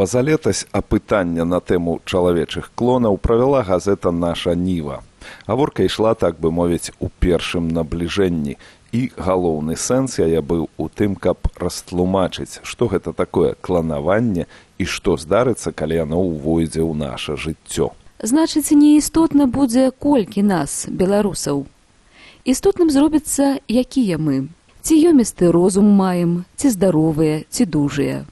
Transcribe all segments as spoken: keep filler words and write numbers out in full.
Пазалетась апытання на тэму чалавечых клонаў правяла газета «Наша Ніва». Гаворка ішла, так бы мовіць, у першым набліжэнні. І галоўны сэнс яе быў у тым, каб растлумачыць, што гэта такое кланаванне і што здарыцца, калі яно ўвойдзе ў наша жыццё. Значыць, неістотна будзе колькі нас, беларусаў. Істотным зробіцца, якія мы. Ці ёмісты розум маем, ці здаровыя, ці дужыя.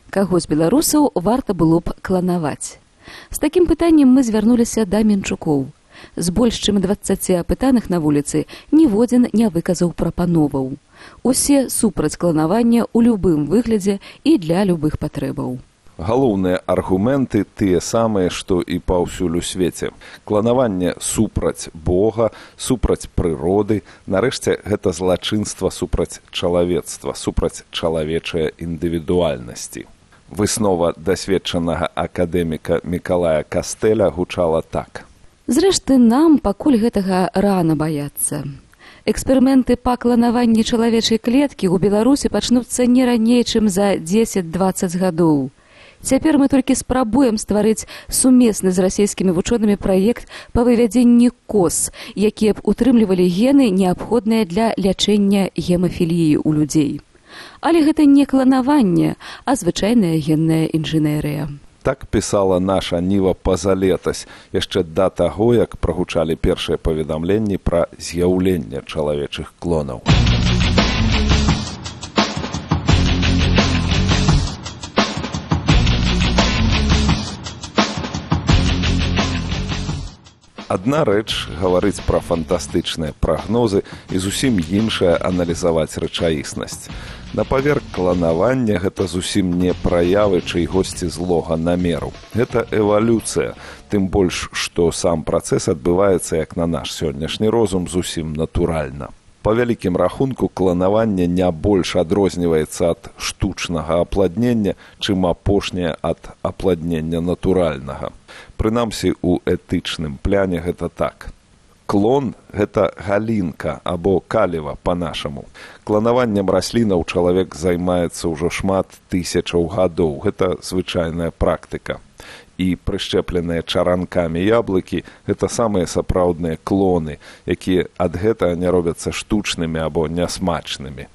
Каго з беларусаў варта было б кланаваць? З такім пытаннем мы звярнуліся да Менчукоў. З больш чым дваццаці апытаных на вуліцы ніводзін не выказаў прапановаў. Усе супраць кланавання ў любым выглядзе і для любых патрэбаў. Галоўныя аргументы тыя самыя, што і паўсюль у свеце. Кланаванне супраць Бога, супраць прыроды, нарэшце гэта злачынства супраць чалавецтва, супраць чалавечай індывідуальнасці. Выснова дасведчанага акадэміка Мікалая Кастэля гучала так. Зрэшты, нам пакуль гэтага рана баяцца. Эксперыменты па кланаванні чалавечай клеткі ў Беларусі пачнуцца не раней, чым за дзесяць-дваццаць гадоў. Цяпер мы толькі спрабуем стварыць сумесны з расійскімі вучонымі праект па вывядзенні коз, якія б утрымлівалі гены, неабходныя для лячэння гемафіліі ў людзей. Але гэта не кланаванне, а звычайная генная інжынерыя. Так пісала «Наша Ніва» пазалетась, яшчэ да таго, як прагучалі першыя паведамленні пра з'яўленне чалавечых клонаў. Адна рэч гаварыць пра фантастычныя прагнозы і зусім іншая аналізаваць рэчаіснасць. На паверх кланавання гэта зусім не праявы чыйгосьці злога намеру. Гэта эвалюцыя, тым больш, што сам працэс адбываецца, як на наш сённяшні розум, зусім натуральна. Па вялікім рахунку, кланаванне не больш адрозніваецца ад штучнага апладнення, чым апошняе ад апладнення натуральнага. Прынамсі, у этычным пляне гэта так. Клон – гэта галінка або каліва па-нашаму. Кланаваннем раслінаў чалавек займаецца ўжо шмат тысячаў гадоў. Гэта звычайная практыка. І прышчэпленыя чаранкамі яблыкі – гэта самыя сапраўдныя клоны, якія ад гэтага не робяцца штучнымі або нясмачнымі.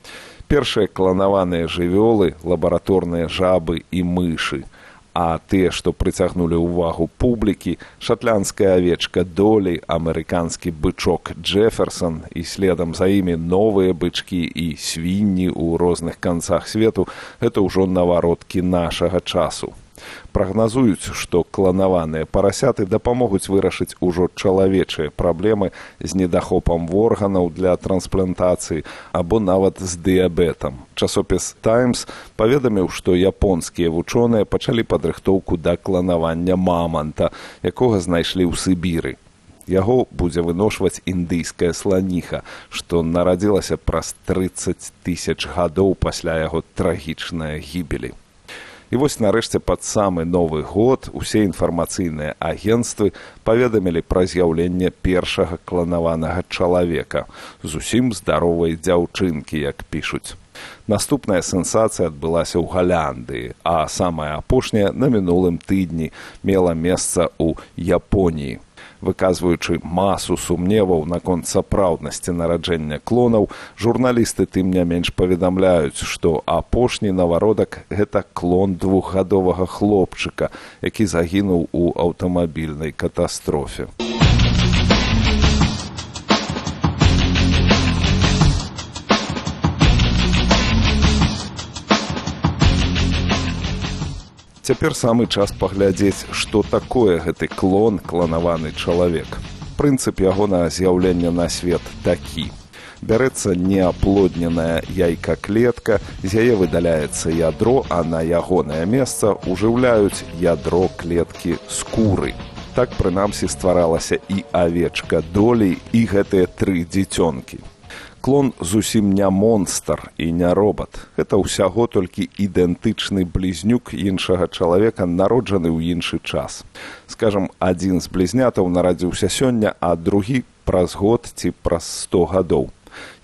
Першыя кланаваныя жывёлы – лабараторныя жабы і мышы. А тыя, што прыцягнулі ўвагу публікі, шатландская авечка Долі, амерыканскі бычок Джэферсон і следам за імі новыя бычкі і свінні ў розных канцах свету – гэта ўжо навароткі нашага часу. Прагназуюць, што кланаваныя парасяты дапамогуць вырашыць ужо чалавечыя праблемы з недахопам органаў для трансплантацыі або нават з дыябетам. Часопіс «Таймс» паведаміў, што японскія вучоныя пачалі падрыхтоўку да кланавання маманта, якога знайшлі ў Сібіры. Яго будзе выношваць індыйская сланіха, што нарадзілася праз трыццаць тысяч гадоў пасля яго трагічнай гібелі. І вось нарэшце пад самы Новы год усе інфармацыйныя агенцтвы паведамілі пра з'яўленне першага кланаванага чалавека, зусім здаровай дзяўчынкі, як пішуць. Наступная сенсацыя адбылася ў Галяндыі, а самая апошняя на мінулым тыдні мела месца ў Японіі. Выказваючы масу сумневаў наконт сапраўднасці нараджэння клонаў, журналісты тым не менш паведамляюць, што апошні навародак – гэта клон двухгадовага хлопчыка, які загінуў у аўтамабільнай катастрофе. Цяпер самы час паглядзець, што такое гэты клон, кланаваны чалавек. Прынцып ягонага з'яўлення на свет такі. Бярэцца неаплодненая яйка-клетка, з яе выдаляецца ядро, а на ягонае месца ўжыўляюць ядро клеткі скуры. Так, прынамсі, стваралася і авечка Долі, і гэтыя тры дзіцёнкі. Клон зусім не монстр і не робат. Гэта ўсяго толькі ідэнтычны блізнюк іншага чалавека, народжаны ў іншы час. Скажам, адзін з блізнятаў нарадзіўся сёння, а другі праз год ці праз сто гадоў.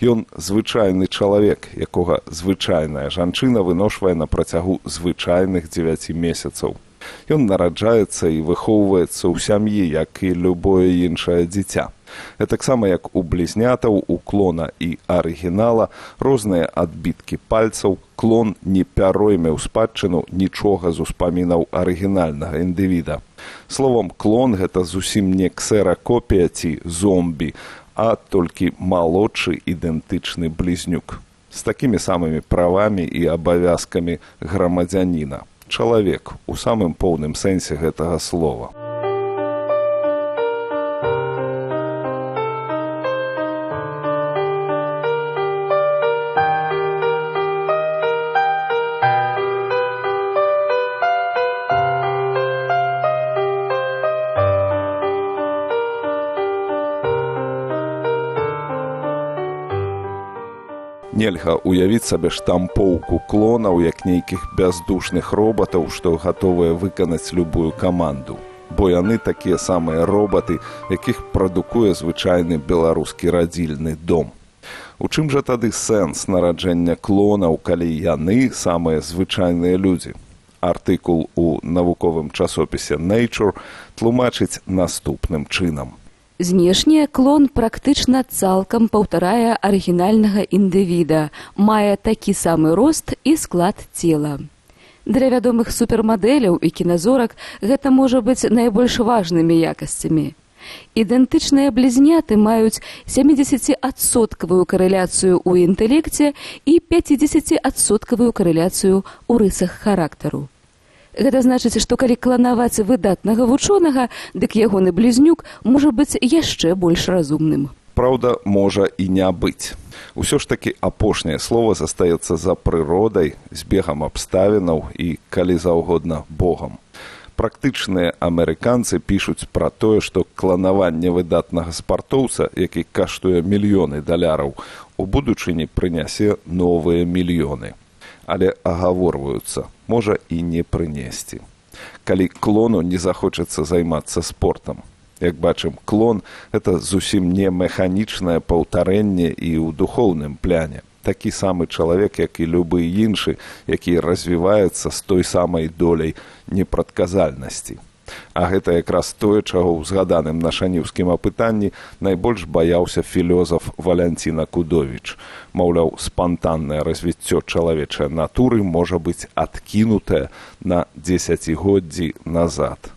Ён звычайны чалавек, якога звычайная жанчына выношвае на працягу звычайных дзевяці месяцаў. Ён нараджаецца і выхоўваецца ў сям'і, як і любое іншае дзіця. Гэтаксама як у блізнятаў, у клона і арыгінала розныя адбіткі пальцаў, клон не пяройме ў спадчыну нічога з успамінаў арыгінальнага індывіда. Словам, клон гэта зусім не ксеракопія ці зомбі, а толькі малодшы ідэнтычны блізнюк. З такімі самымі правамі і абавязкамі грамадзяніна. Чалавек у самым поўным сэнсе гэтага слова. Нельга уявіць сабе штампоўку клонаў як нейкіх бяздушных робатаў, што гатовыя выканаць любую каманду. Бо яны такія самыя робаты, якіх прадукуе звычайны беларускі радзільны дом. У чым жа тады сэнс нараджэння клонаў, калі яны самыя звычайныя людзі? Артыкул у навуковым часопісе Nature тлумачыць наступным чынам. Знешне клон практычна цалкам паўтарае арыгінальнага індывіда, мае такі самы рост і склад цела. Для вядомых супермадэляў і кіназорак гэта можа быць найбольш важнымі якасцямі. Ідэнтычныя блізняты маюць сямідзесяціадсоткавую карэляцыю ў інтэлекце і пяцідзесяціадсоткавую карэляцыю ў рысах характару. Гэта значыць, што калі кланаваць выдатнага вучонага, дык ягоны блізнюк можа быць яшчэ больш разумным. Праўда, можа і не быць. Усё ж такі апошняе слова застаецца за прыродай, збегам абставінаў і, калі заўгодна, Богам. Практычныя амерыканцы пішуць пра тое, што кланаванне выдатнага спартоўца, які каштуе мільёны даляраў, у будучыні прынясе новыя мільёны. Але агаворваюцца, можа і не прынесці. Калі клону не захочацца займацца спортам. Як бачым, клон – гэта зусім не механічнае паўтарэнне і ў духоўным пляне. Такі самы чалавек, як і любы іншы, які развіваецца з той самай доляй непрадказальнасці. А гэта якраз тое, чаго ў згаданым на шаніўскім апытанні найбольш баяўся філёзаф Валянціна Кудовіч. Маўляў, спантаннае развіццё чалавечай натуры можа быць адкінутае на дзесяцігоддзі назад.